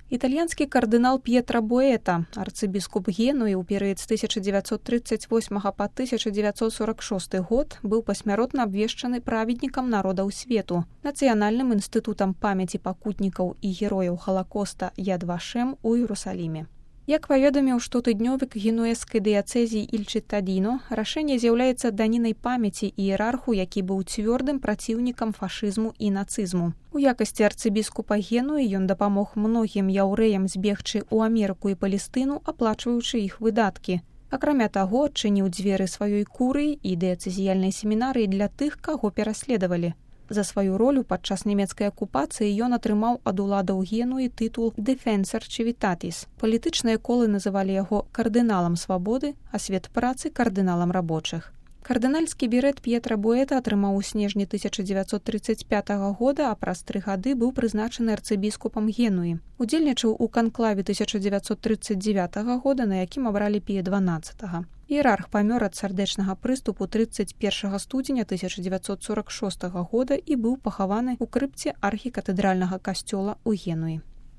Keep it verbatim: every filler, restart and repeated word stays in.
Італьянскі кардынал П'етра Боэта, арцыбіскуп Генуі ў перыяд з тысяча дзевяцьсот трыццаць восьмага па тысяча дзевяцьсот сорак шосты год, быў пасмяротна абвешчаны праведнікам народаў свету, Нацыянальным інстытутам памяці пакутнікаў і герояў Халакоста Яд Вашем у Іерусаліме. Як паведаміў штотыднёвік генуэзскай дыяцэзіі Іль-Чыттадіно, рашэнне з'яўляецца данінай памяці іерарху, які быў цвёрдым праціўнікам фашызму і нацызму. У якасці арцыбіскупа Генуі ён дапамог многім яўрэям збегчы ў Амерыку і Палестыну, аплачваючы іх выдаткі. Акрамя таго, адчыніў дзверы сваёй курыі і дыяцэзіяльнай семінарыі для тых, каго пераследавалі. За сваю ролю падчас нямецкай акупацыі ён атрымаў ад уладаў Генуі тытул «Defensor Civitatis». Палітычныя колы называлі яго кардыналам свабоды, а свет працы кардыналам рабочых. Кардынальскі берэт П'етра Боэта атрымаў у снежні тысяча дзевяцьсот трыццаць пятага года, а праз тры гады быў прызначаны арцыбіскупам Генуі. Удзельнічаў у канклаве тысяча дзевяцьсот трыццаць дзевятага года, на якім абралі Пія дванаццатага. Іерарх памёр ад сардэчнага прыступу трыццаць першага студзеня тысяча дзевяцьсот сорак шостага года і быў пахаваны ў крыпце архікатэдральнага касцёла ў Генуі.